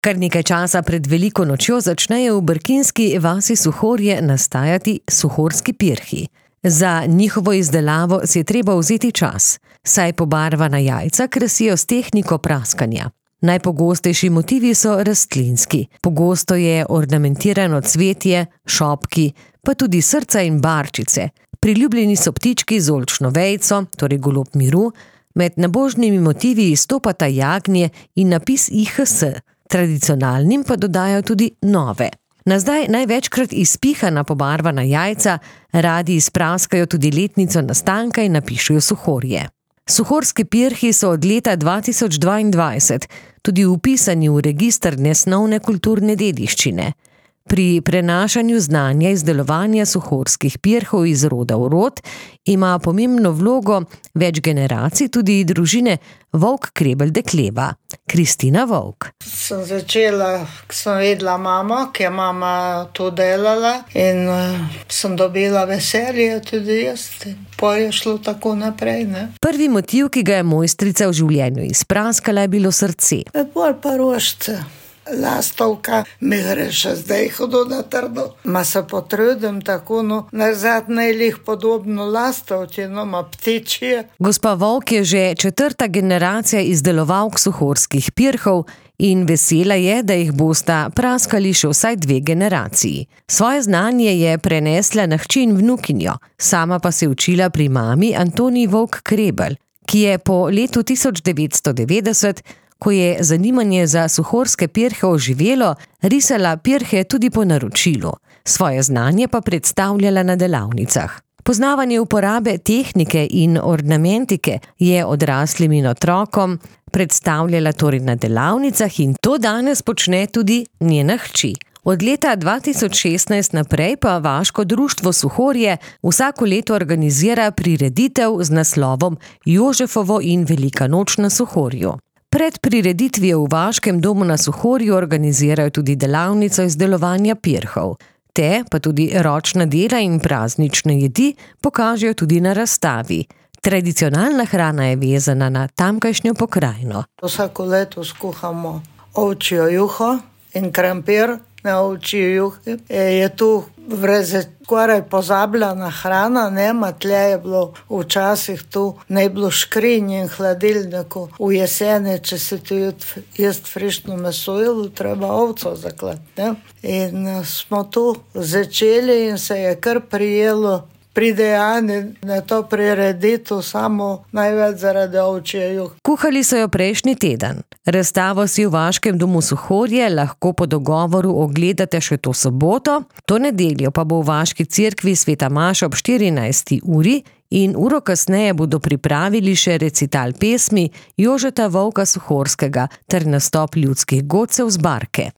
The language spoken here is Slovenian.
Kar nekaj časa pred veliko nočjo začnejo v brkinski vasi Suhorje nastajati suhorski pirhi. Za njihovo izdelavo si je treba vzeti čas, saj pobarvana jajca krasijo s tehniko praskanja. Najpogostejši motivi so rastlinski. Pogosto je ornamentirano cvetje, šopki, pa tudi srca in barčice. Priljubljeni so ptički z oljčno vejico, torej golob miru, med nabožnimi motivi izstopata jagnje in napis IHS. Tradicionalnim pa dodajo tudi nove. Na zdaj največkrat izpihana pobarvana jajca radi izpraskajo tudi letnico nastanka in napišejo Suhorje. Suhorski pirhi so od leta 2022 tudi vpisani v register nesnovne kulturne dediščine. Pri prenašanju znanja izdelovanja suhorskih pirhov iz roda v rod ima pomembno vlogo več generacij tudi družine Volk Krebel Dekleva, Kristina Volk. Sem začela, ko sem vedela mamo, ki je mama to delala in sem dobila veselje tudi jaz. Pa je šlo tako naprej, ne. Prvi motiv, ki ga je mojstrica v življenju izpraskala, je bilo srce. Bolj pa rožce. Lastovka mi gre še zdaj hudo na trdo. Ma se potrudim tako, nazadnje jih podobno lastovci, ma ptičje. Gospa Volk je že 4. generacija izdelovalk suhorskih pirhov in vesela je, da jih bosta praskali še vsaj 2 generaciji. Svoje znanje je prenesla na hči in vnukinjo, sama pa se je učila pri mami Antoniji Volk Krebel, ki je po letu 1990, ko je zanimanje za suhorske pirhe oživelo, risala pirhe tudi po naročilu. Svoje znanje pa predstavljala na delavnicah. Poznavanje uporabe tehnike in ornamentike je odraslim in otrokom predstavljala torej na delavnicah in to danes počne tudi njena hči. Od leta 2016 naprej pa Vaško društvo Suhorje vsako leto organizira prireditev z naslovom Jožefovo in Velika noč na Suhorju. Pred prireditvijo v Vaškem domu na Suhorju organizirajo tudi delavnico izdelovanja pirhov. Te pa tudi ročna dela in praznične jedi pokažejo tudi na razstavi. Tradicionalna hrana je vezana na tamkajšnjo pokrajino. Vsako leto skuhamo ovčjo juho in krompir na ovčji juhi. Je tu vreze skoraj pozabljena hrana, nema tle je bilo včasih tu, ne bilo škrinj in hladilniku. V jeseni, če se tu jest frišno meso, treba ovco zaklati, ne. In smo tu začeli in se je kar prijelo. Pridejani na to prireditev samo največ zaradi ovčje juhe. Kuhali so jo prejšnji teden. Razstavo si v Vaškem domu Suhorje lahko po dogovoru ogledate še to soboto, to nedeljo pa bo v Vaški cerkvi Sveta Maša ob 14. uri in uro kasneje bodo pripravili še recital pesmi Jožeta Volka Suhorskega ter nastop ljudskih godcev z Barke.